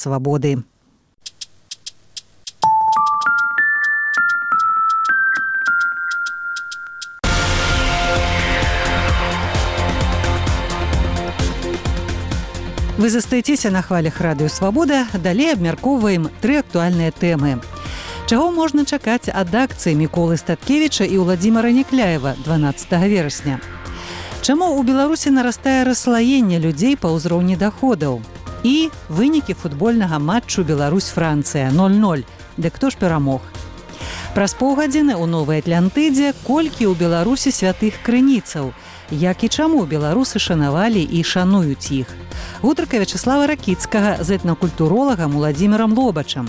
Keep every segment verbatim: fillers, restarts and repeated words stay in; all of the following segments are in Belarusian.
свабоды. Вы застаецеся на хвалях радыё «Свабода». Далей абмяркоўваем тры актуальныя тэмы. Чаго можна чакаць ад акцыі Міколы Статкевіча і Уладзіміра Някляева дванаццатага верасня? Чаму ў Беларусі нарастае расслаенне людзей па ўзроўні даходаў? І вынікі футбольнага матчу Беларусь-Францыя нуль нуль. Дык хто ж перамог? Праз паўгадзіны ў Новай Атлантыдзе колькі ў Беларусі святых крыніцаў? Як і чаму беларусы шанавалі і шануюць іх? Гутарка Вячаслава Ракіцкага з этнакультуролагам Уладзімірам Лобачам.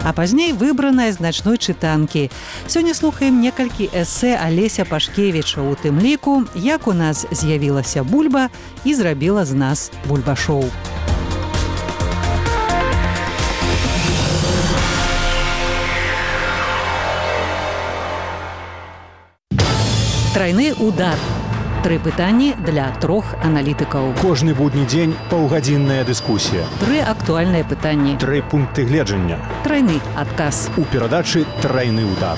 А пазней выбраная з начной чытанкі. Сёння слухаем некалькі эсэ Алеся Пашкевіча, у тым ліку, як у нас з'явілася бульба і зрабіла з нас бульбашоў. Трайны удар. Тры пытанні для трох аналітыкаў. Кожны будні дзень паўгадзінная дыскусія. Тры актуальныя пытанні. Тры пункты гледжання. Трайны адказ. У перадачы «Трайны удар».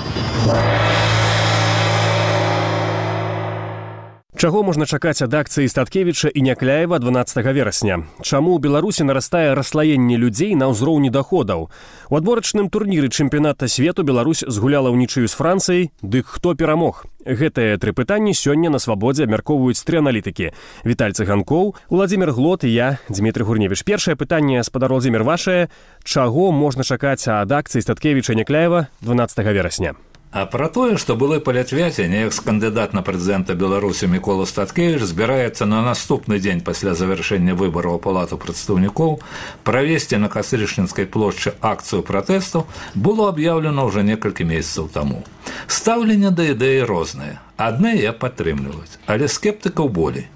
Чаго можна чакаць ад акцыі Статкевіча і Някляева дванаццатага верасня? Чаму ў Беларусі нарастае расслаенне людзей на ўзроўні даходаў? У адборачным турніры чэмпіяната свету Беларусь згуляла ўнічыю з Францыяй, дык хто перамог? Гэтыя тры пытанні сёння на свабодзе абмяркоўваюць тры аналітыкі. Віталь Цыганкоў, Уладзімір Глот і я, Дзмітрый Гурневіч. Першае пытанне, спадар Уладзімір, вашае. Чаго можна чакаць ад акцыі Статкевіча і Някляева дванаццатага верасня? А пра тое, што былы палітвязень, экс-кандыдат на прэзідэнта Беларусі Мікола Статкевіч збіраецца на наступны дзень пасля завяршэння выбараў у Палату прадстаўнікоў правесці на Кастрычніцкай плошчы акцыю пратэсту, было аб'яўлена ўжо некалькі месяцаў таму. Стаўленне да ідэі рознае. Адны я падтрымліваюць, але скептыкаў болей.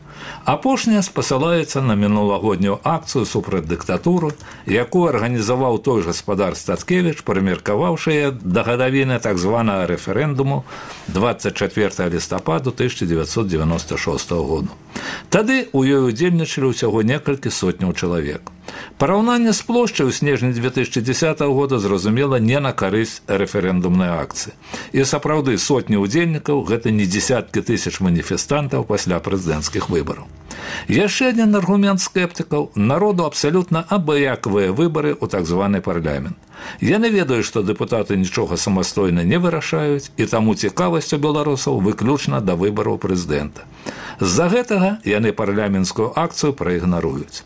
Апошняя спасылаецца на мінулагоднюю акцыю супраць дыктатуры, якую арганізаваў той гаспадар Статкевіч, прымеркаваўшы да гадавіны так званага рэферэндуму дваццаць чацвёртага лістапада тысяча дзевяцьсот дзевяноста шостага году. Тады ў ёй удзельнічалі ўсяго некалькі сотняў чалавек. Параўнанне з плошчай у снежні дзве тысячы дзесятага года, зразумела, не на карысць рэферэндумнай акцыі. І сапраўды сотні ўдзельнікаў – гэта не дзесяткі тысяч маніфестантаў пасля прэзідэнцкіх выбараў. Яшчэ адзін аргумент скептыкаў – народу абсалютна абыякавыя выбары ў так званы парламент. Яны ведаюць, што дэпутаты нічога самастойна не вырашаюць, і таму цікавасць у беларусаў выключна да выбараў прэзідэнта. З-за гэтага яны парламенцкую акцыю праігнаруюць.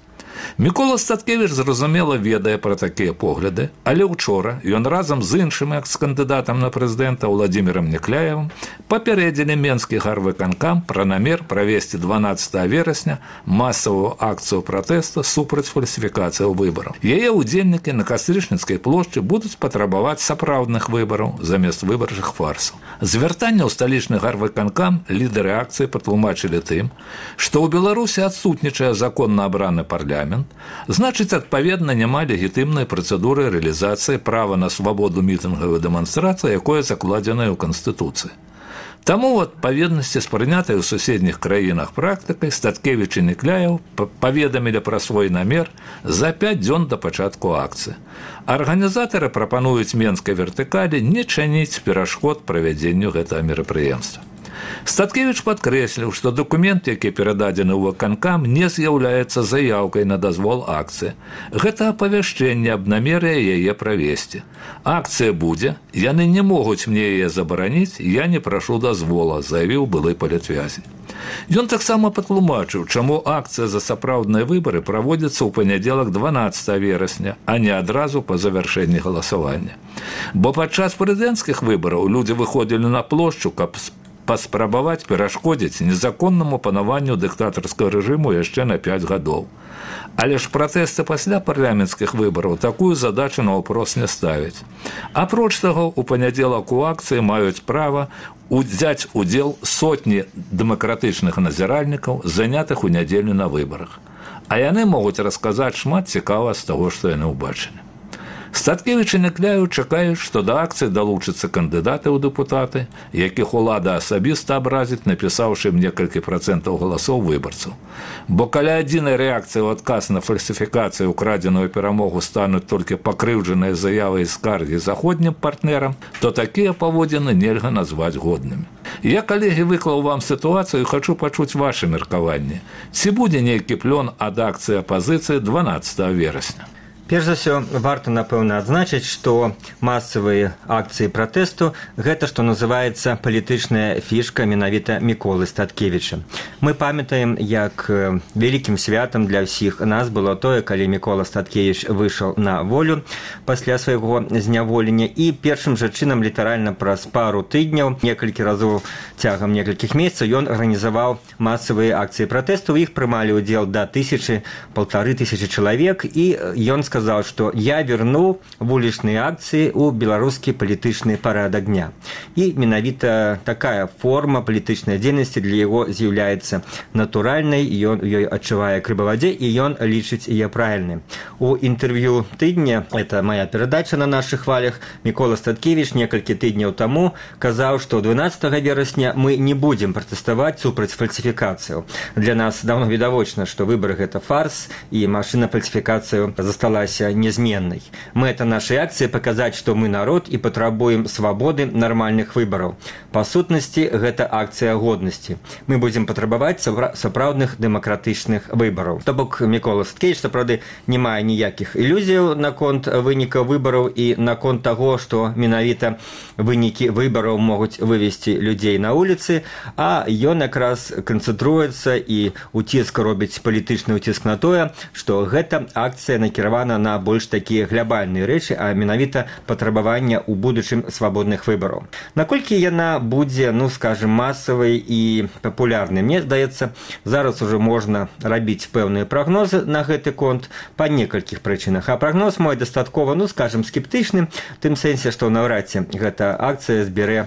Мікола Статкевіч, зразумела, ведае пра такія погляды, але ўчора ён разам з іншым экс-кандыдатам на прэзідэнта Уладзімірам Някляевым папярэдзілі Менскі гарвыканкам пра намер правесці дванаццатага верасня масавую акцыю пратэсту супраць фальсіфікацыяў выбараў. Яе ўдзельнікі на Кастрычніцкай плошчы будуць патрабаваць сапраўдных выбараў замест выбарчых фарсаў. Звяртанне ў сталічны гарвыканкам лідары акцыі патлумачылі тым, што ў Беларусі адсутнічае законна абраны парламент, значыць, адпаведна, няма легітымнай працэдуры рэалізацыі права на свабоду мітынгаў і дэманстрацый, якое закладзенае ў Канстытуцыі. Таму ў адпаведнасці з прынятай у суседніх краінах практыкай Статкевіч і Някляеў паведамілі пра свой намер за пяць дзён да пачатку акцыі. Арганізатары прапануюць менскай вертыкалі не чаніць перашкод правядзенню гэтага мерапрыемства. Статкевіч падкрэсліў, што дакумент, які перададзены ў выканкам, не з'яўляецца заяўкай на дазвол акцыі. Гэта апавяшчэнне аб намеры яе правесці. Акцыя будзе, яны не могуць мне яе забараніць, я не прашу дазвола, заявіў былы палітвязень. Ён таксама патлумачыў, чаму акцыя за сапраўдныя выбары праводзіцца ў панядзелак дванаццатага верасня, а не адразу па завяршэнні галасавання. Бо падчас прэзідэнцкіх выбараў людзі выходзілі на плошчу, каб паспрабаваць перашкодзіць незаконнаму панаванню дыктатарскага рэжыму яшчэ на пяць гадоў. Але ж пратэсты пасля парламенцкіх выбараў такую задачу наўпрост не ставяць. Апроч таго, у панядзелак у акцыі маюць права узяць удзел сотні дэмакратычных назіральнікаў, занятых у нядзелю на выбарах. А яны могуць расказаць шмат цікава з таго, што яны ўбачылі. Статкевіч і Някляеў чакаюць, што да акцыі далучацца кандыдаты ў дэпутаты, якіх улада асабіста абразіць, напісаўшы ім некалькі працэнтаў галасоў выбарцаў. Бо каля адзінай рэакцыі ў адказ на фальсіфікацыю украдзеную перамогу стануць толькі пакрыўджаныя заявы і скаргі заходнім партнерам, то такія паводзіны нельга назваць годнымі. Я, калегі, выклаў вам сітуацыю і хачу пачуць вашы меркаванні. Ці будзе нейкі плён ад акцыі апазіцыі дванаццатага верасня? Перш за ўсё, варта, напэўна, адзначыць, што масавыя акцыі пратэсту – гэта, што называецца, палітычная фішка менавіта Міколы Статкевіча. Мы памятаем, як вялікім святам для ўсіх нас было тое, калі Мікола Статкевіч выйшаў на волю пасля свайго зняволення, і першым жа чынам літаральна праз пару тыдняў, некалькі разоў цягам некалькіх месяцаў, ён арганізаваў масавыя акцыі пратэсту, у іх прымалі ўдзел да тысячы, паўтары тысячы чалавек, і ён сказаў, сказал, что я верну вулічныя акцыі ў беларускі палітычны парадак дня. І менавіта такая форма палітычнай дзейнасці для яго з'яўляецца натуральнай, ён ёй адчувае крыбавадзе, і ён лічыць яе правільнай. У інтэрв'ю тыдня, это моя перадача на нашых хвалях, Мікола Статкевіч некалькі тыдняў таму казаў, што дванаццатага верасня мы не будзем пратэставаць супраць фальсіфікацыяў. Для нас давно відавочна, што выбары гэта фарс, і машына фальсіфікацыю засталася незменной. Мэта нашей акции показать, что мы народ и потребуем свободы нормальных выборов. По сутности, это акция годности. Мы будем потребовать сапраўдных демократичных выборов. То бок Мікола Статкевіч, сапраўды, не мае ніякіх ілюзій наконт выніка выборов и наконт того, что менавіта вынікі выборов могуць вывести людей на улицы, а ён якраз канцэнтруецца і уціск робіць палітычны уціск на тое, что гэта акция накіравана на больш такія глобальныя рэчы, а менавіта патрабавання ў будучым свабодных выбараў. Наколькі яна будзе, ну, скажем, масавай і папулярнай, мне здаецца, зараз уже можна рабіць пэўныя прагнозы на гэты конт па некалькіх прычынах. А прагноз мой дастаткова, ну, скажем, скептычны, в тым сэнсе, што наўрад ці гэта акцыя збярэ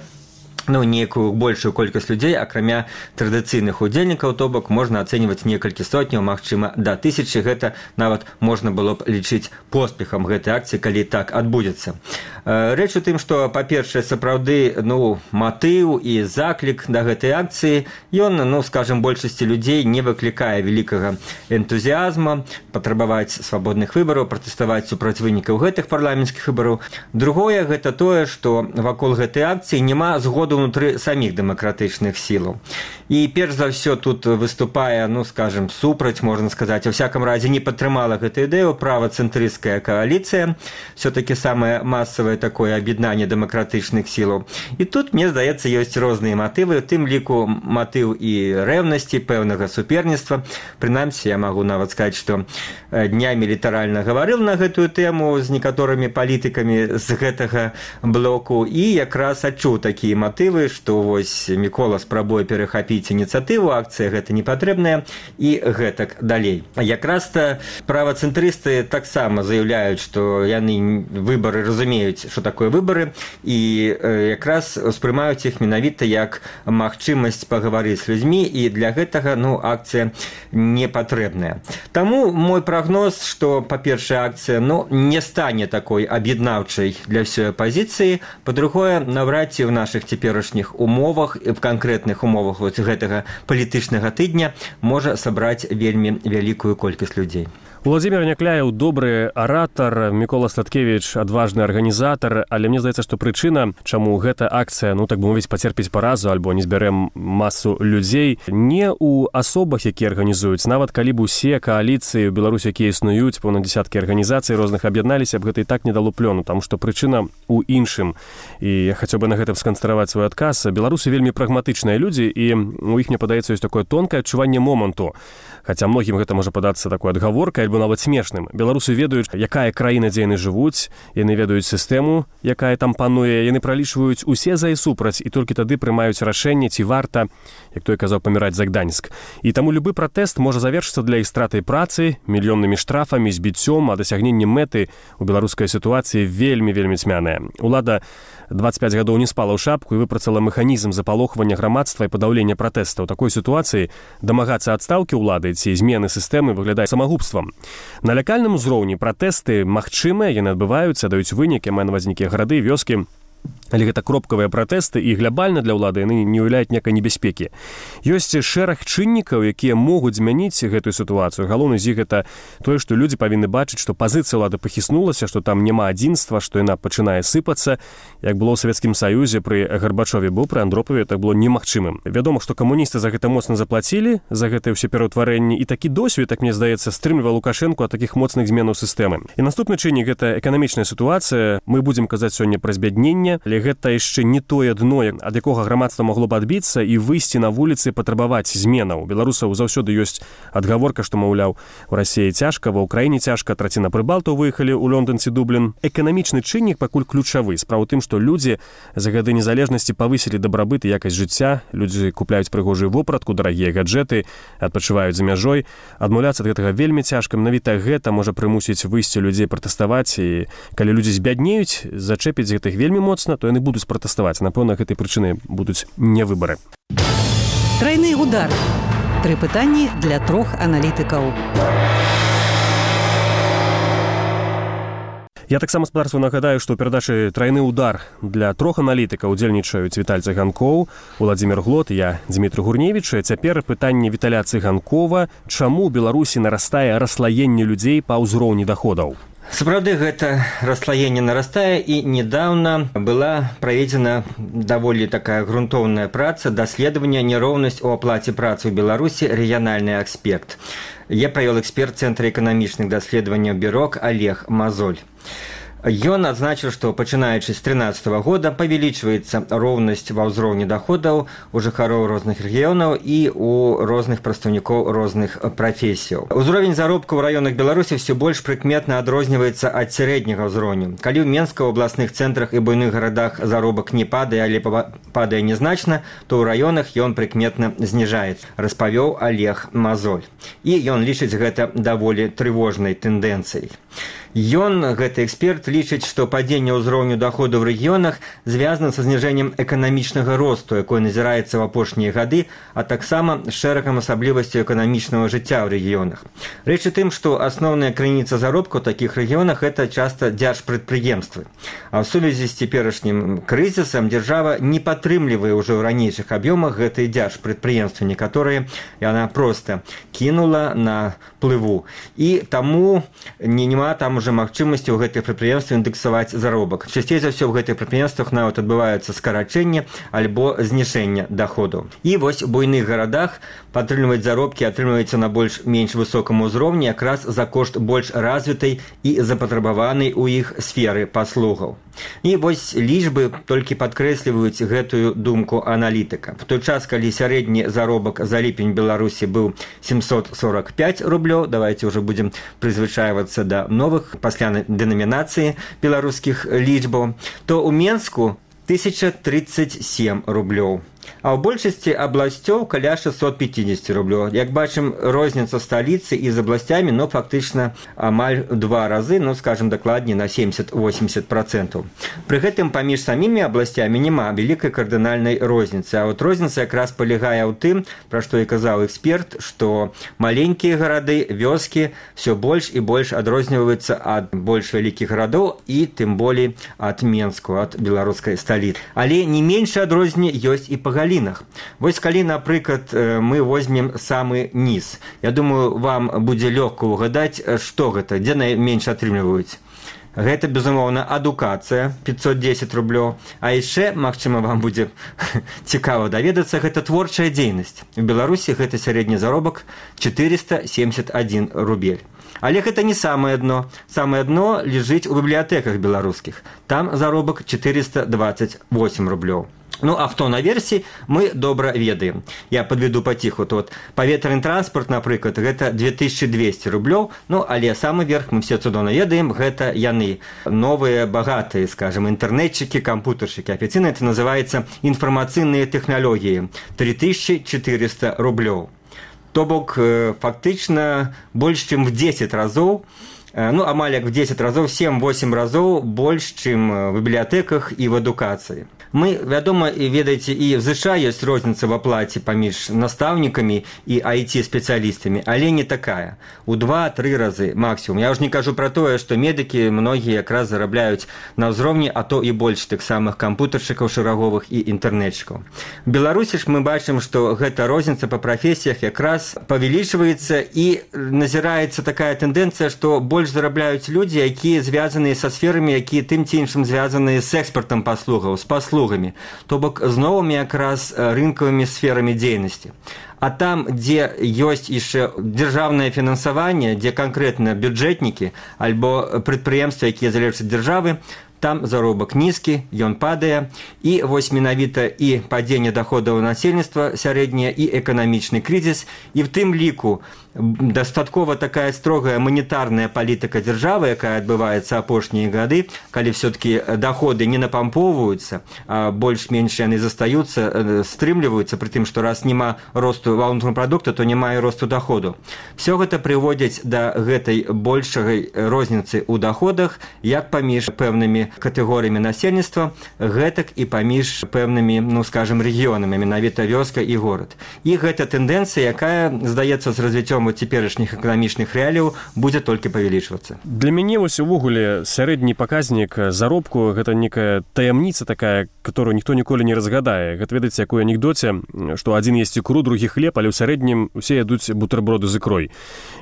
ну, некую большую колькасць людзей, акрамя традыцыйных удзельнікаў, то бок можна ацэньваць некалькі сотняў, магчыма, да тысячы. Гэта нават можна было б лічыць поспехам гэтай акцыі, калі так адбудзецца. Рэч у тым, што, па-першае, сапраўды, ну, матыў і заклік да гэтай акцыі, ён, ну, скажем, большасці людзей не выклікае вялікага энтузіазма патрабаваць свабодных выбараў, пратэставаць супраць вынікаў гэтых парламенцкіх выбараў. Другое, гэта тое, што вакол гэтай акцыі няма згоду внутры самих демократычных сілаў. І перш за ўсё тут выступае, ну, скажем, супраць, можна сказаць, у всяком разе не падтрымала гэту ідэю правацэнтрысцкая коаліцыя, все-таки самае масавае такое аб'яднанне дэмакратычных сілаў. І тут, мне здаецца, ёсць розныя матывы, у тым ліку матыў і рэўнасці, пэўнага суперніцтва. Прынамсі, я магу нават сказаць, што днямі літаральна гаварыў на гэтую тэму з некаторымі палітыкамі з гэтага блоку, і якраз адчуў такія матывы, што вось Мікола спрабуе перахапіць ініцыятыву, акцыя гэта не патрэбная, і гэтак далей. Якраз-то правацэнтрысты таксама заяўляюць, што яны выбары разумеюць, што такое выбары, і якраз успрымаюць іх менавіта як магчымасць пагаварыць з людзьмі, і для гэтага, ну, акцыя не патрэбная. Таму мой прагноз, што, па-першае, акцыя, ну, не стане такой аб'яднаўчай для ўсёй апазіцыі, па-другое, наўрад ці ў нашых цяперашніх умовах, в канкрэтных умовах вот гэтага палітычнага тыдня можа сабраць вельмі вялікую колькасць людзей. Уладзімір Някляеў добры аратар, Мікола Статкевіч адважны арганізатар, але мне здаецца, што прычына, чаму гэта акцыя, ну, так бы мовіць, пацерпіць паразу альбо не збярэм масу людзей, не ў асобах, якія арганізуюць. Нават калі б усе кааліцыі ў Беларусі, якія існуюць, пэўна дзясяткі арганізацый розных аб'ядналіся, б гэта і так не дало плёну, таму што прычына ў іншым. І я хацеў бы на гэтым сканцэнтраваць свой адказ. Беларусы вельмі прагматычныя людзі, і у іх, мне падаецца, ёсць такое тонкае адчуванне моманту. Хаця многім гэта можа падацца такой адгаворкай альбо нават смешным. Беларусы ведаюць, якая краіна, дзе яны жывуць, яны ведаюць сістэму, якая там пануе, яны пралічваюць усе за і супраць, і толькі тады прымаюць рашэнне, ці варта, як той казаў, паміраць за Гданьск. І таму любы пратэст можа завершыцца для іх стратай працы, мільённымі штрафамі, збіццём, а дасягненне мэты ў беларускай сітуацыі вельмі-вельмі цьмяная. Улада дваццаць пяць гадоў не спала ў шапку і выпрацала механізм запалохвання грамадства і падаўлення пратэстаў. У такой сітуацыі дамагацца адстаўкі ўлады ці змены сістэмы выглядае самагубствам. На лакальным узроўні пратэсты магчымыя, яны адбываюцца, даюць вынікі, мае на ўвазе нейкія гарады, вёскі. Але гэта кропкавыя пратэсты, і глябальна для ўлады яны не ўяўляюць некай небяспекі. Ёсць шэраг чыннікаў, якія могуць змяніць гэтую сітуацыю. Галоўны з іх гэта тое, што людзі павінны бачыць, што пазіцыя ўлады пахіснулася, што там няма адзінства, што яна пачынае сыпацца. Як было ў Савецкім Саюзе пры Гарбачове, бо пры Андропове так было немагчымым. Вядома, што камуністы за гэта моцна заплацілі, за гэтае ўсе пераўтварэнні, і такі досвед, так мне здаецца, стрымліваў Лукашэнку ад такіх моцных зменаў сістэмы. І наступны чыннік гэта эканамічная сітуацыя. Мы будзем казаць сёння пра збядненне, але гэта яшчэ не тое дно, ад якога грамадства магло б адбіцца і выйсці на вуліцы, патрабаваць зменаў. У беларусаў заўсёды ёсць адгаворка, што, маўляў, у Расіі цяжка, ва ўкраіне цяжка, траціна прыбалтаў выехалі ў Лондон ці Дублін. Эканамічны чыннік пакуль ключавы. Справа ў тым, што людзі за гады незалежнасці павысілі дабрабыт і якасць жыцця, людзі купляюць прыгожую вопратку, дарагія гаджэты, адпачываюць за мяжой. Адмаўляцца ад гэтага вельмі цяжка. Менавіта гэта можа прымусіць выйсці людзей пратэставаць, і калі людзі збяднеюць, зачэпіць гэтых вельмі моцна, то яны будуць пратэставаць. Напэўна, гэтай прычынай будуць не выбары. Трайны удар. Тры пытанні для трох аналітыкаў. Я таксама спадарству нагадаю, што ў перадачы «Трайны удар» для трох аналітыкаў удзельнічаюць Віталь Цыганкоў, Уладзімір Глот, я Дзмітрый Гурневіч. Цяпер пытанне Віталя Цыганкова: чаму ў Беларусі нарастае расслаенне людзей па ўзроўні даходаў? Сапраўды, гэта расслаенне нарастае, і недавно была праведзена даволі такая грунтоўная праца даследавання нероўнасць у аплаце працы ў Беларусі, рэгіянальны аспект. Я правёл эксперт Цэнтра эканамічных даследаванняў Бюрок Олег Мазоль. Ён адзначыў, што пачынаючы з трынаццатага года павялічваецца роўнасць ва ўзроўні даходаў у жыхароў розных рэгіёнаў і у розных прадстаўнікоў розных прафесіяў. Узровень заробку ў раёнах Беларусі ўсё больш прыкметна адрозніваецца ад сярэдняга ўзроўню. Калі ў Менска, ў абласных цэнтрах і буйных гарадах заробак не падае, але падае нязначна, то ў раёнах ён прыкметна зніжаецца, распавёў Олег Мазоль. І ён лічыць гэта даволі трывожнай тэндэнцыяй. Ён, гэты эксперт, лічыць, што падзенне ўзроўню даходу ў рэгіёнах звязана са зніжэннем эканамічнага росту, якое назіраецца ў апошнія гады, а таксама з шэрагам асаблівасцяў эканамічнага жыцця ў рэгіёнах. Рэч у тым, што асноўная крыніца заробку ў такіх рэгіёнах гэта часта дзяржпрадпрыемствы. А ў сувязі з цяперашнім крызісам дзяржава не падтрымлівае ўжо ў ранейшых аб'ёмах гэтыя дзяржпрадпрыемствы. Некаторыя яна проста кінула на плыву. І таму не няма там уже магчымасці ў гэтых прадпрыемствах індэксаваць заробак. Часцей за ўсё ў гэтых прадпрыемствах нават адбываюцца скарачэнне альбо зніжэнне даходаў. І вось у буйных гарадах падтрымліваць заробкі атрымліваецца на больш-менш высокам узроўні якраз за кошт больш развітай і запатрабаванай у іх сферы паслугаў. І вось лічбы толькі падкрэсліваюць гэтую думку аналітыка. В той час, калі сярэдні заробак за ліпень Беларусі быў семьсот сорок пять рублёў, давайте уже будем прызвычайвацца да новых пасля дэнамінацыі беларускіх лічбаў, то ў Менску тысяча тридцать семь рублёў. А ў большасці абласцёў каля шестьсот пятьдесят рублёў. Як бачым, розніца сталіцы і з абласцямі, ну, фактычна амаль два разы, ну, скажем дакладней, на семьдесят-восемьдесят процентаў. Пры гэтым паміж самімі абласцямі няма вялікай кардынальнай розніцы. А от розніца якраз палягае ў тым, пра што і казаў эксперт, што маленькія гарады, вёскі ўсё больш і больш адрозніваюцца ад больш вялікіх гарадоў і тым болей ад Менску, ад беларускай сталіцы. Але не меншае адрозненне ёсць і па галінах. Вось калі, напрыклад, мы возьмем самы низ. Я думаю, вам будзе лёгка угадаць, што гэта, дзе найменш атрымліваюць. Гэта, безумоўна, адукацыя, пятьсот десять рублёў. А яшчэ, магчыма, вам будзе цікава даведацца, гэта творчая дзейнасць. У Беларусі гэта сярэдні заробак четыреста семьдесят один рубель. Але гэта не самае дно. Самае дно ляжыць у бібліятэках беларускіх. Там заробак четыреста двадцать восемь рублёў. Ну, а хто наверсе, мы добра ведаем. Я подведу паціху. Тут паветраны транспорт, напрыклад, гэта две тысячи двести рублёў. Ну, але самы верх, мы все цудоўна ведаем, гэта яны. Новыя, багатыя, скажем, інтэрнетчыкі, кампутаршыкі. Афіцыйна это называецца інфармацыйныя тэхналогіі. три тысячи четыреста рублёў. То бок, фактычна, больш чым в десять разоў ну, амаль як в дзесяць разоў, сем-восем разоў больш, чым в бібліятэках і в адукацыі. Мы, вядома, і ведаеце, і в ЗША ёсць розніца в аплаце паміж настаўнікамі і ай ти-спецыялістамі, але не такая. У два-тры разы максімум. Я ўжо не кажу пра тое, што медыкі многія якраз зарабляюць на ўзроўні, а то і больш тых самых кампутаршчыкаў шараговых і інтэрнетчыкаў. В Беларусі ж мы бачым, што гэта розніца па прафесіях якраз павялічваецца і назіраецца такая тэндэнцыя, што больш зарабляюць людзі, якія звязаныя са сферамі, якія тым ці іншым звязаныя з экспартам паслугаў, з паслугамі. То бок з новымі якраз рынкавымі сферамі дзейнасці. А там, дзе ёсць яшчэ дзяржаўнае фінансаванне, дзе канкрэтна бюджэтнікі альбо прадпрыемствы, якія залежаць ад дзяржавы, там заробак нізкі, ён падае, і вось менавіта і падзенне даходаў насельніцтва сярэдняе, і эканамічны крызіс, і в тым ліку дастаткова такая строгая манетарная палітыка дзяржавы, якая адбываецца апошнія гады, калі все-таки доходы не напампоўваюцца, а больш-менш яны застаюцца, стрымліваюцца, пры тым, што раз няма росту валютнага прадукта, то няма і росту доходу. Все гэта прыводзіць да гэтай большай розніцы ў доходах, як паміж пэўнымі катэгорыямі насельніцтва, гэтак і паміж пэўнымі, ну, скажем, рэгіёнамі, менавіта вёска і горад. І гэта тэндэнцыя, якая, здаецца, з развіццём цяперашніх эканамічных рэаліяў будзе толькі павялічвацца. Для мяне вось увогуле сярэдні паказнік заробку гэта некая таямніца такая, которую ніхто ніколі не разгадае. Гэта ведаеце, якой анекдоце, што адзін есць ікру, другі хлеб, але ў сярэднім усе ядуць бутэрброды з ікрой.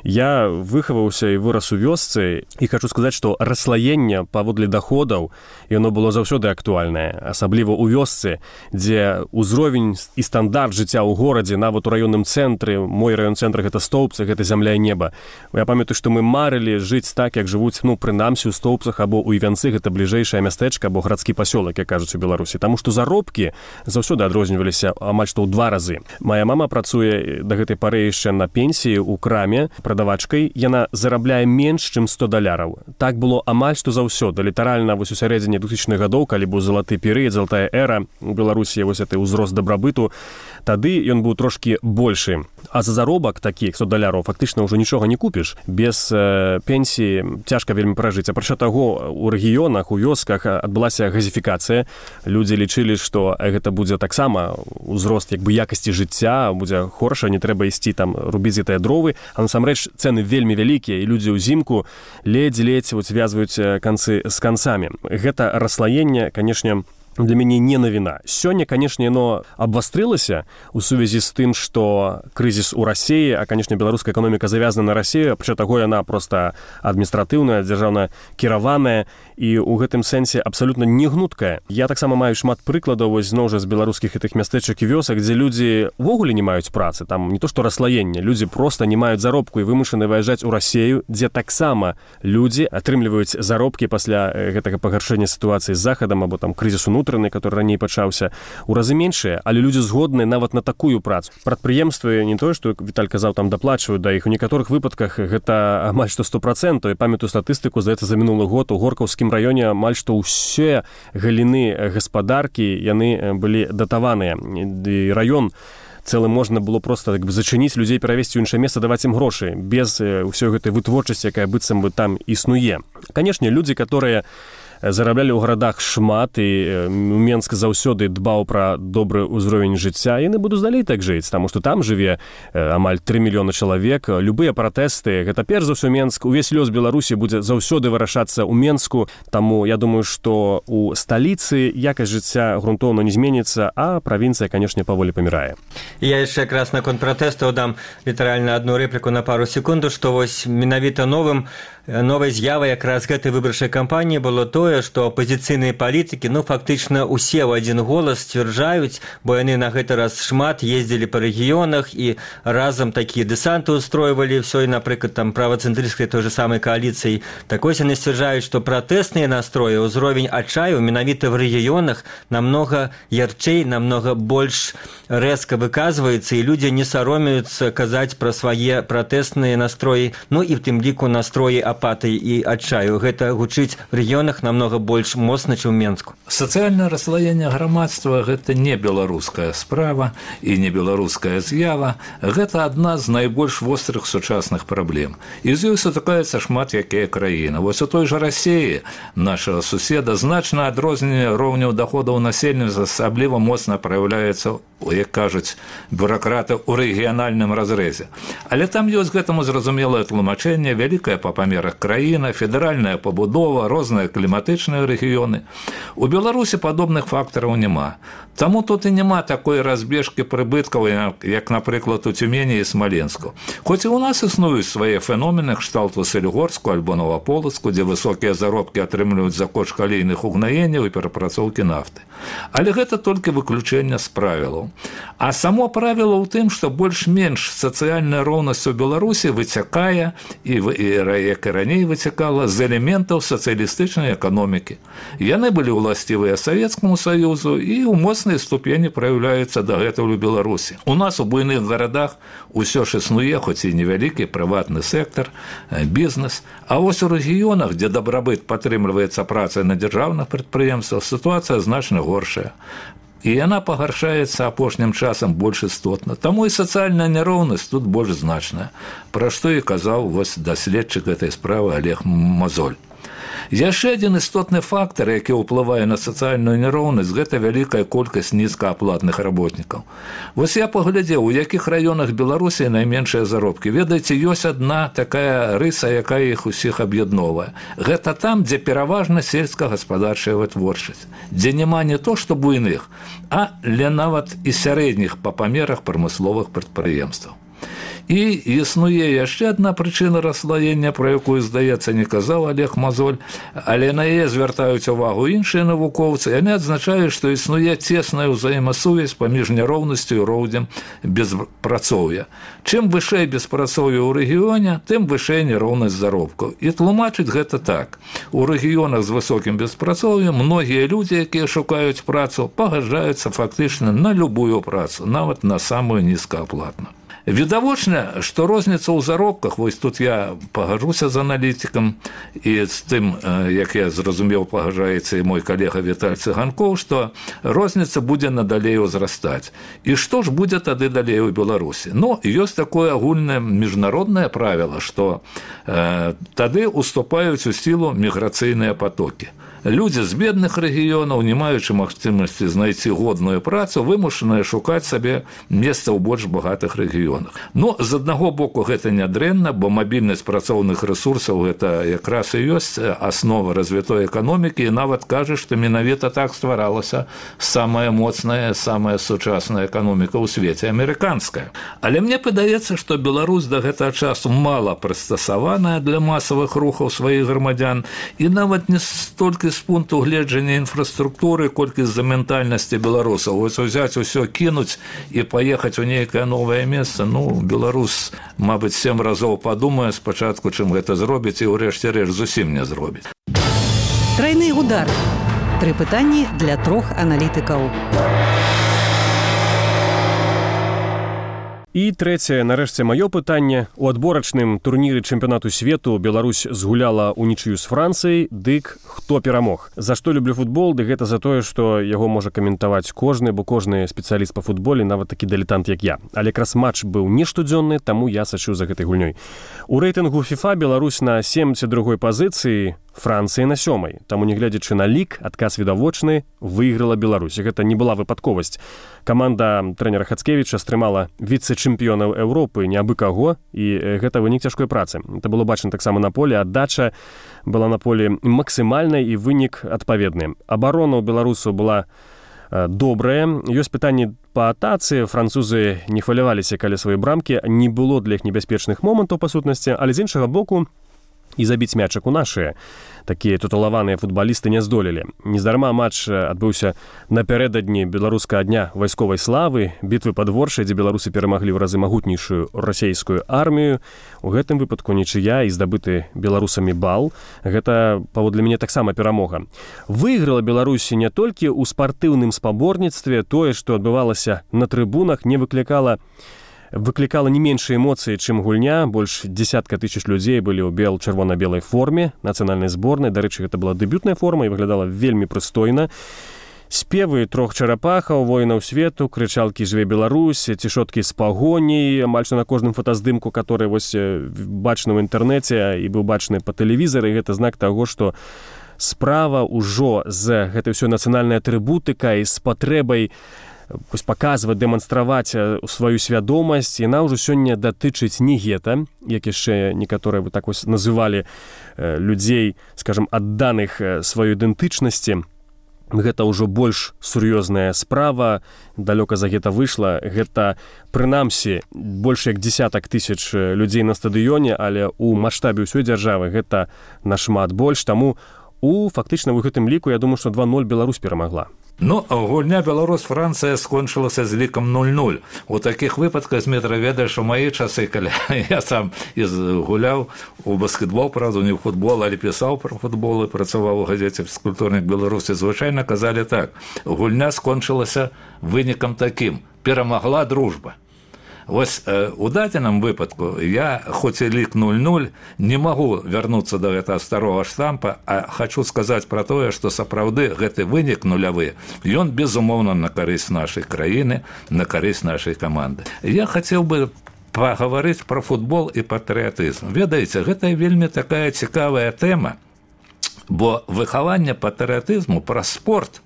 Я выхаваўся і вырас у вёсцы, і хочу сказаць, што расслаенне паводле даходаў, яно было заўсёды актуальнае, асабліва ў вёсцы, дзе ўзровень і стандарт жыцця ў горадзе, нават у раённым цэнтры, мой раён-цэнтр гэта Стоўпцы, гэта зямля і неба. Я памятаю, што мы марылі жыць так, як жывуць, ну, прынамсі ў Стоўпцах або ў Івянцы, гэта бліжэйшае мястэчка або гарадскі пасёлак, як кажуць у Беларусі. Таму што заробкі заўсёды адрозніваліся амаль што ў два разы. Мая мама працуе да гэтай пары яшчэ на пенсіі ў краме прадавачкай, яна зарабляе менш, чым сто даляраў. Так было амаль што заўсёды. Літаральна вось у сярэдзіне двухтысячных гадоў, калі быў залаты перыяд, залатая эра у Беларусі, вось гэты ўзрост дабрабыту, тады ён быў трошкі большы. А за заробак такі сто даляраў фактычна ўжо нічога не купіш. Без э, пенсіі цяжка вельмі пражыць. Апрача таго, у рэгіёнах, у вёсках адбылася газіфікацыя. Людзі лічылі, што гэта будзе таксама ўзрост як бы якасці жыцця, будзе хорша, не трэба ісці там рубіць гэтыя дровы. А насамрэч цэны вельмі вялікія, і людзі ўзімку ледзь-ледзь звязваюць канцы з канцамі. Гэта расслаенне, канешне, для мяне не навіна. Сёння, канешне, яно абвастрылася ў сувязі з тым, што крызіс у Расіі, а, канешне, беларуская эканоміка завязана на Расію, апрача таго яна проста адміністратыўная, дзяржаўна кіраваная і ў гэтым сэнсе абсалютна не гнуткая. Я таксама маю шмат прыкладаў вось зноў жа з беларускіх гэтых мястэчак і вёсак, дзе людзі ўвогуле не маюць працы, там не то што расслаенне, людзі проста не маюць заробку і вымушаны выязджаць у Расію, дзе таксама людзі атрымліваюць заробкі пасля гэтага пагаршэння сітуацыі з захадам або там крызісу унутраны, который раней пачаўся, у разы меншыя, але людзі згодныя нават на такую працу. Прадпрыемствы не тое, што Віталь казаў, там даплачваюць да іх, у некаторых выпадках гэта амаль што сто процентаў. І памятаю статыстыку, здаецца, за мінулы год у Горкаўскім раёне амаль што ўсе галіны гаспадаркі яны былі датаваныя. І раён цэлы можна было проста так бы зачыніць, людзей перавесці ў іншае месца, даваць ім грошы, без ўсёй гэтай вытворчасці, якая быццам бы там існуе. Канешне, людзі, которые зараблялі ў гарадах шмат, і Менск заўсёды дбаў пра добры ўзровень жыцця, яны будуць далей так жыць, таму што там жыве амаль тры мільёны чалавек. Любыя пратэсты, гэта перш за ўсё Менск, увесь лёс Беларусі будзе заўсёды вырашацца ў Менску, таму я думаю, што у сталіцы якасць жыцця грунтоўна не зменіцца, а правінцыя, канешне, паволі памірае. Я яшчэ якраз наконт пратэстаў дам літаральна адну рэпліку на пару секунду, што вось менавіта новым новай з'явай якраз гэтай выбарчай кампаніі было тое, што апазіцыйныя палітыкі, ну, фактычна усе ў адзін голас сцвярджаюць, бо яны на гэты раз шмат ездзілі па рэгіёнах і разам такія дэсанты ўстройвалі ўсё, і, напрыклад, там правацэнтрысцкай той же самай кааліцыі. Так вось яны сцвярджаюць, што пратэсныя настроі, ўзровень адчаю менавіта в рэгіёнах намнога ярчэй, намнога больш рэзка выказваецца, і людзі не саромеюцца казаць пра свае пратэсныя настроі, ну і в тым ліку настроі апатыі і адчаю. Гэта гучыць в рэгіёнах намнога намного больш моцна, чым у Менску. Сацыяльнае расслаенне грамадства – гэта не беларуская справа і не беларуская з'ява. Гэта адна з найбольш вострых сучасных праблем. І з ёй сутыкаецца шмат якія краіны. Вось у той жа Расіі, нашага суседа, значна адрозненне роўняў даходаў насельніцтва асабліва моцна праяўляецца, як кажуць бюракраты, у рэгіянальным разрэзе. Але там ёсць гэтаму зразумелае тлумачэнне, вялікая па памерах краіна, федэральная пабудова, розныя кліматычныя рэгіёны. У Беларусі падобных фактараў няма. Таму тут і няма такой разбежкі прыбыткаў, як, напрыклад, у Тюмені і Смаленску. Хоць і ў нас існуюць свае феномены кшталту Сэльгорску альбо Новаполацку, дзе высокія заробкі атрымліваюць за кошт калійных угнаенняў і перапрацоўкі нафты. Але гэта толькі выключэнне з правілаў. А само правіла ў тым, што больш-менш сацыяльная роўнасць у Беларусі выцякае, і, і як і раней выцякала, з элементаў сацыялістычнай эканомікі. Яны былі ўласцівыя Савецкаму Саюзу і ў моцнай ступені праяўляюцца дагэтуль у Беларусі. У нас у буйных гарадах усё ж існуе, хоць і невялікі прыватны сектар, бізнес. А вось у рэгіёнах, дзе дабрабыт падтрымліваецца працай на дзяржаўных прадпрыемствах, сітуацыя значна горшая. І яна пагаршаецца апошнім часам больш істотна. Таму і сацыяльная няроўнасць тут больш значная, пра што і казаў вось даследчык гэтай справы Олег Мозоль. Яшчэ адзін істотны фактар, які ўплывае на сацыяльную няроўнасць, гэта вялікая колькасць нізкааплатных работнікаў. Вось я паглядзеў, у якіх раёнах Беларусі найменшыя заробкі. Ведаеце, ёсць адна такая рыса, якая іх усіх аб'ядноўвае. Гэта там, дзе пераважна сельскагаспадарчая вытворчасць, дзе няма не то што буйных, а ля нават і сярэдніх па памерах прамысловых прадпрыемстваў. І існуе яшчэ адна прычына расслаення, пра якую, здаецца, не казаў Олег Мозоль, але на яе звяртаюць увагу іншыя навукоўцы. Яны адзначаюць, што існуе цесная ўзаемасувязь паміж няроўнасцю і роўнем беспрацоўя. Чым вышэй беспрацоўе ў рэгіёне, тым вышэй няроўнасць заробкаў. І тлумачыць гэта так. У рэгіёнах з высокім беспрацоўем многія людзі, якія шукаюць працу, пагаджаюцца фактычна на любую працу, нават на самую нізкааплатную. Відавочна, што розніца ў заробках, вось тут я пагаджуся з аналітыкам і з тым, як я зразумеў, пагаджаецца і мой калега Віталь Цыганкоў, што розніца будзе надалей узрастаць. І што ж будзе тады далей у Беларусі? Ну, ёсць такое агульнае міжнароднае правіла, што э, тады уступаюць у сілу міграцыйныя патокі. Людзі з бедных рэгіёнаў, не маючы магчымасці знайсці годную працу, вымушаныя шукаць сабе месца ў больш багатых рэгіёнах. Ну, з аднаго боку, гэта нядрэнна, бо мабільнасць працоўных рэсурсаў – гэта якраз і ёсць аснова развітой эканомікі, і нават кажа, што менавіта так стваралася самая моцная, самая сучасная эканоміка ў свеце – амерыканская. Але мне падаецца, што Беларусь да гэтага часу мала прыстасаваная для масавых рухаў сваіх грамадзян, і нават не столькі з пункту гледжання інфраструктуры, колькі з-за ментальнасці беларусаў. Вось узяць усё, кінуць і паехаць у нейкае новае месца, ну, беларус, мабыць, сем разоў падумае спачатку, чым гэта зробіць, і ўрэшце рэшт зусім не зробіць. Трайны удар. Тры пытанні для трох аналітыкаў. І трэцяе, нарэшце, маё пытанне. У адборачным турніры чэмпіянату свету Беларусь згуляла ўнічыю з Францыяй, дык хто перамог? За што люблю футбол? Ды гэта за тое, што яго можа каментаваць кожны, бо кожны спецыяліст па футболе, нават такі дылетант, як я. Але якраз матч быў не штодзённы, таму я сачыў за гэтай гульнёй. У рэйтынгу FIFA Беларусь на семдзесят другой пазіцыі, Францыя на сёмай. Таму, не глядзячы на лік, адказ відавочны, выйграла Беларусь. Гэта не была выпадковасць. Каманда трэнера Хацкевіча стрымала віцэ-чэмпіёнаў Еўропы не абы каго, і гэта вынік цяжкой працы. Это было бачна таксама на поле, аддача была на поле максімальнай і вынік адпаведны. Абарона ў беларусаў была добрая. Ёсць пытанні па атацы. Французы не хваляваліся, калі свае брамкі, не было для іх небяспечных момантаў па сутнасці, але з іншага боку, і забіць мячак у нашыя такія туталаваныя футбалісты не здолелі. Нездарма матч адбыўся напярэдадні беларускага дня вайсковай славы, бітвы пад Воршай, дзе беларусы перамаглі ў разы магутнейшую расейскую армію. У гэтым выпадку нічыя і здабыты беларусамі бал. Гэта, паводле мяне, таксама перамога. Выйграла Беларусі не толькі ў спартыўным спаборніцтве. Тое, што адбывалася на трыбунах, не выклікала выклікала не меншыя эмоцыі, чым гульня. Больш дзесятка тысяч людзей былі ў бел-чырвона-белай форме нацыянальнай зборнай. Дарэчы, гэта была дэбютная форма і выглядала вельмі прыстойна. Спевы трох чарапахаў, воінаў свету, крычалкі «Жыве Беларусь», цішоткі з пагоняй, амаль што на кожным фотаздымку, который вось бачны ў інтэрнэце і быў бачны па тэлевізары. Гэта знак таго, што справа ўжо з гэтай ўсёй нацыянальнай атрыбутыкай, з патрэбай паказваць, дэманстраваць сваю свядомасць, яна ўжо сёння датычыць не гета, як яшчэ некаторыя бы так вось называлі людзей, скажам, адданых сваёй ідэнтычнасці. Гэта ўжо больш сур'ёзная справа, далёка за гета выйшла. Гэта, прынамсі, больш як дзесятак тысяч людзей на стадыёне, але ў маштабе ўсёй дзяржавы гэта нашмат больш. Таму у фактычна ў гэтым ліку, я думаю, што два нуль Беларусь перамагла. Ну, гульня Беларусь-Францыя скончылася з лікам нуль нуль. У такіх выпадках, Змітра, ведаеш, у мае часы, калі я сам гуляў у баскетбол, правда, не ў футбол, але пісаў пра футбол і працаваў у газеце «Фізкультурнік Беларусі», звычайна казалі так: гульня скончылася вынікам такім: перамагла дружба. Вось э, у дадзеным выпадку я, хоць і лік нуль нуль, не магу вярнуцца да гэтага старога штампа, а хачу сказаць пра тое, што сапраўды гэты вынік нулявы, ён безумоўна на карысць нашай краіны, на карысць нашай каманды. Я хацеў бы пагаварыць пра футбол і патрыятызм. Ведаеце, гэта вельмі такая цікавая тэма, бо выхаванне патрыятызму пра спорт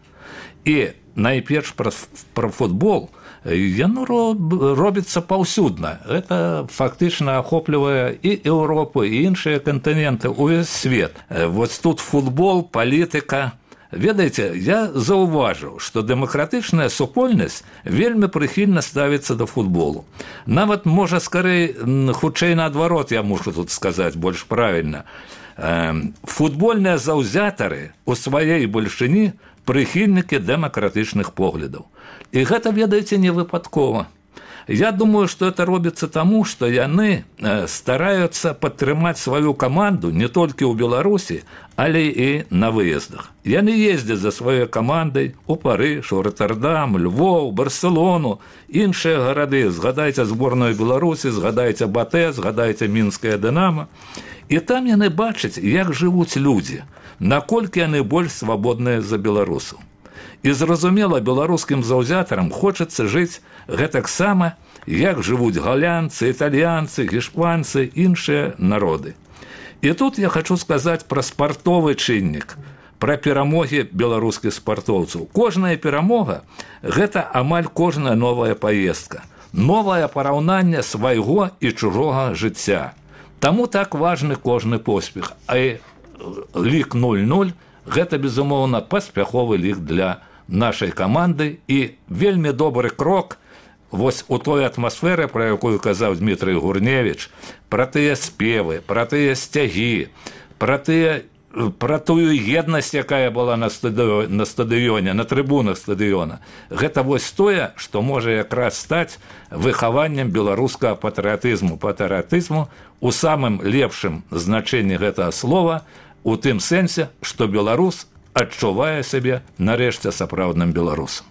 і найперш пра, пра футбол яно робіцца паўсюдна. Гэта фактычна ахоплівае і Еўропу, і іншыя кантыненты, увесь свет. Вось тут футбол, палітыка. Ведаеце, я заўважыў, што дэмакратычная супольнасць вельмі прыхільна ставіцца да футболу. Нават, можа, скарэй, хутчэй наадварот, я мушу тут сказаць больш правільна. Футбольныя заўзятары у сваёй бальшыні прыхільнікі дэмакратычных поглядаў. І гэта, ведаеце, не выпадкова. Я думаю, што это робіцца таму, што яны стараюцца падтрымаць сваю каманду не толькі ў Беларусі, але і на выездах. Яны ездзяць за сваёй камандай у Парыж, у Роттердам, Львов, Барселону, іншыя гарады. Згадайце зборную Беларусі, згадайце Батэ, згадайце мінскае Дынама. І там яны бачаць, як жывуць людзі, наколькі яны больш свабодныя за беларусаў. І зразумела, беларускім заўзятарам хочацца жыць гэтаксама, як жывуць галянцы, італьянцы, гішпанцы, іншыя народы. І тут я хочу сказаць пра спартовы чыннік, пра перамогі беларускіх спартоўцаў. Кожная перамога – гэта амаль кожная новая паездка, новае параўнанне свайго і чужога жыцця. Таму так важны кожны поспех. А лік нуль нуль – гэта, безумоўна, паспяховы лік для нашай каманды і вельмі добры крок вось у той атмасферы, пра якую казаў Дмітрый Гурневіч, пра тыя спевы, пра тыя сцягі, пра тыя, пра тую еднасць, якая была на стадыёне, на стадыёне, на трыбунах стадыёна. Гэта вось тое, што можа якраз стаць выхаваннем беларускага патрыятызму, патрыятызму у самым лепшым значэнні гэтага слова, у тым сэнсе, што беларус адчувае сябе нарэшце сапраўдным беларусам.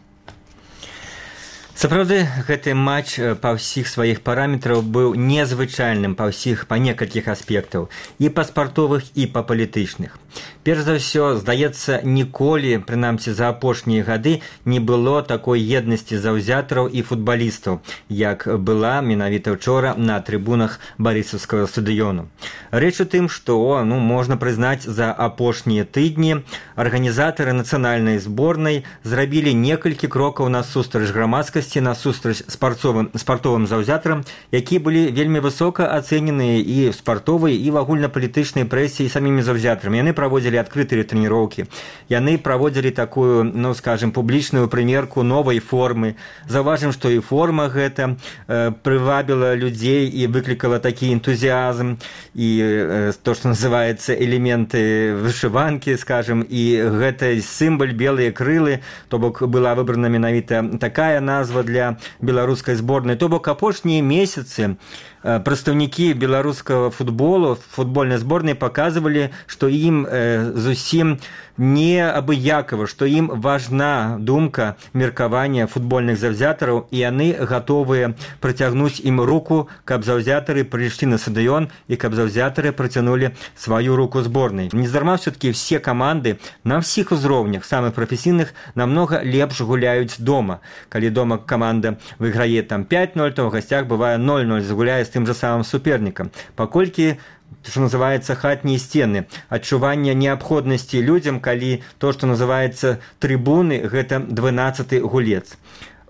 Сапраўды, гэты матч па ўсіх сваіх параметраў быў незвычайным па ўсіх, па некалькіх аспектаў, і па спартовых, і па палітычных. Перш за ўсё, здаецца, ніколі, прынамсі за апошнія гады, не было такой еднасці заўзятараў і футбалістаў, як была менавіта ўчора на трыбунах Барысаўскага стадыёну. Рэч у тым, што, ну, можна прызнаць, за апошнія тыдні арганізатары нацыянальнай зборнай зрабілі некалькі крокаў насустрач грамадскасці, насустрач спартовым, спартовым заўзятарам, які былі вельмі высока ацэненыя і в спартовай, і в агульнапалітычнай прэсе, і самімі заўзятарамі. Яны праводзілі адкрытыя трэніроўкі, яны праводзілі такую, ну, скажем, публічную прымерку новай формы. Заўважым, што і форма гэта э, прывабіла людзей і выклікала такі энтузіазм, і э, то, што называецца элементы вышыванкі, скажем, і гэта сімвал белыя крылы, то бок была выбрана менавіта такая назва пазва для беларускай зборнай. То бок апошнія месяцы прадстаўнікі беларускага футболу, футбольнай зборнай паказвалі, што ім зусім не абыякава, што ім важна думка меркавання футбольных заўзятараў, і яны гатовыя працягнуць ім руку, каб заўзятары прыйшлі на стадыён і каб заўзятары працянулі сваю руку зборнай. Нездарма все-таки все каманды на ўсіх узроўнях, самых прафесійных, намнога лепш гуляюць дома. Калі дома каманда выйграе там пять ноль, то ў гасцях бывае ноль ноль, загуляе з тым жа самым супернікам. Паколькі, што называецца, хатнія сцены, адчування неабходнасці людзям, калі то, што называецца трыбуны, гэта дванаццаты гулец.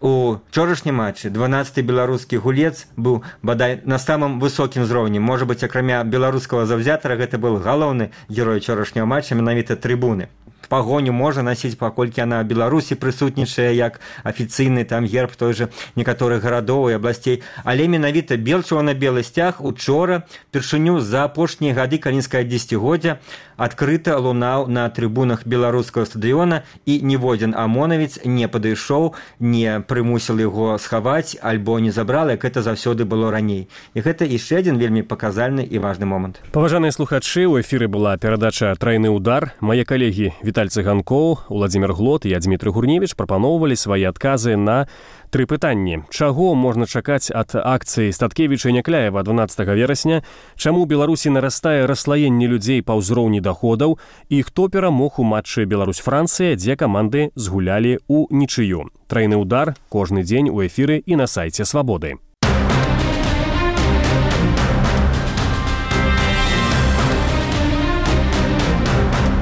У вчорашнім матчы дванаццаты беларускі гулец быў бадай на самым высокім узроўні. Можа быць, акрамя беларускага заўзятара, гэта был галоўны герой вчорашняга матча, менавіта трыбуны. Пагоню можа насіць, паколькі яна ў Беларусі прысутнічае як афіцыйны там герб той же некаторых гарадоў і абласцей. Але менавіта бел-чырвона-белы сцяг учора першыню за апошнія гады калінскага дзесяцігоддзя адкрыта лунаў на трыбунах беларускага стадыёна, і ніводзін амонавец не падышоў, не прымусіл яго схаваць альбо не забрал, як гэта заўсёды было раней. І гэта яшчэ адзін вельмі паказальны і важны момант. Паважаныя слухачы, у эфіры была перадача «Трайны удар». Мае калегі Віталь Цыганкоў, Уладзімір Глот і я, Дмітрый Гурневіч, прапаноўвалі свае адказы на тры пытанні. Чаго можна чакаць ад акцыі Статкевіча і Някляева дванаццатага верасня, чаму ў Беларусі нарастае расслаенне людзей па ўзроўні даходаў і хто перамог у матчы Беларусь-Францыя, дзе каманды згулялі ў нічыю. Трайны удар кожны дзень у эфіры і на сайце Свабоды.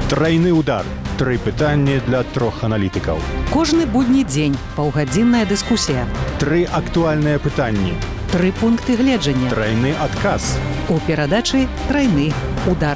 Трайны удар. Тры пытанні для трох аналітыкаў. Кожны будні дзень паўгадзінная дыскусія. Тры актуальныя пытанні. Тры пункты гледжання. Трайны адказ. У перадачы «Трайны удар».